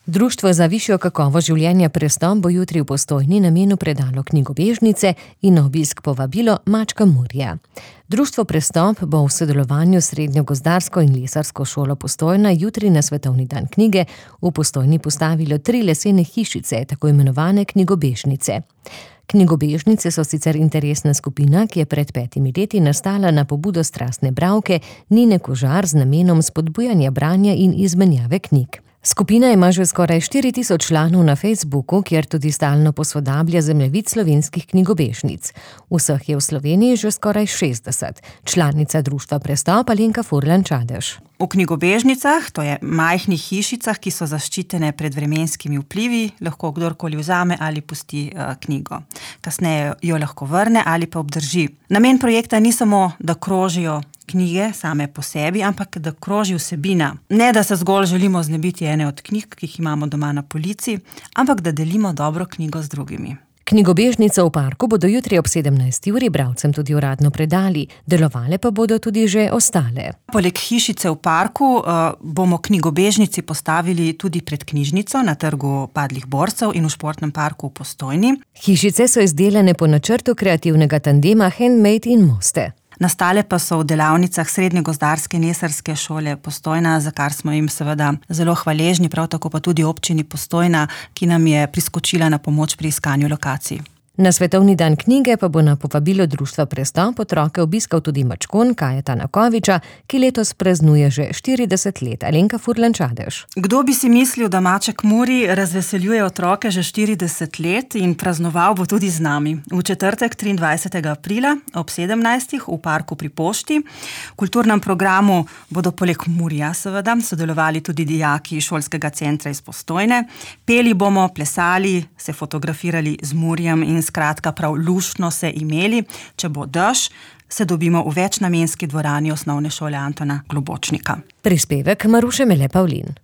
Društvo za višjo kakovost življenja Prestop bo jutri v Postojni namenu predalo knjigobežnice in na obisk povabilo Mačka Murija. Društvo Prestop bo v sodelovanju s Srednjo gozdarsko in lesarsko šolo Postojna jutri na svetovni dan knjige v Postojni postavilo 3 lesene hišice, tako imenovane knjigobežnice. Knjigobežnice so sicer interesna skupina, ki je pred 5 leti nastala na pobudo strastne bralke Nine Kožar z namenom spodbujanja branja in izmenjave knjig. Skupina ima že skoraj 4000 članov na Facebooku, kjer tudi stalno posodablja zemljevid slovenskih knjigobežnic. Vseh je v Sloveniji že skoraj 60. Članica društva Prestop Alenka Furlan-Čadež. V knjigobežnicah, to je majhnih hišicah, ki so zaščitene pred vremenskimi vplivi, lahko kdorkoli vzame ali pusti knjigo. Kasneje jo lahko vrne ali pa obdrži. Namen projekta ni samo, da krožijo knjige same po sebi, ampak da kroži vsebina. Ne, da se zgolj želimo znebiti ene od knjig, ki jih imamo doma na polici, ampak da delimo dobro knjigo z drugimi. Knjigobežnico v parku bodo jutri ob 17. uri bralcem tudi uradno predali, delovale pa bodo tudi že ostale. Poleg hišice v parku bomo knjigobežnici postavili tudi pred knjižnico na trgu Padlih borcev in v športnem parku v Postojni. Hišice so izdelane po načrtu kreativnega tandema Handmade in Moste. Nastale pa so v delavnicah Srednje gozdarske in lesarske šole Postojna, za kar smo jim seveda zelo hvaležni, prav tako pa tudi občini Postojna, ki nam je priskočila na pomoč pri iskanju lokacij. Na svetovni dan knjige pa bo na povabilo društva Prestop otroke obiskal tudi Mačkon Kajeta Nakoviča, ki letos praznuje že 40 let. Alenka Furlan-Čadež. Kdo bi si mislil, da Maček Muri razveseljuje otroke že 40 let in praznoval bo tudi z nami. V četrtek 23. aprila ob 17. v parku pri Pošti. V kulturnem programu bodo poleg Murija seveda sodelovali tudi dijaki šolskega centra iz Postojne. Peli bomo, plesali, se fotografirali z Murijem in skratka prav luštno se imeli. Če bo dež, se dobimo v večnamenski dvorani osnovne šole Antona Globočnika. Prispevek Maruše Mele Pavlin.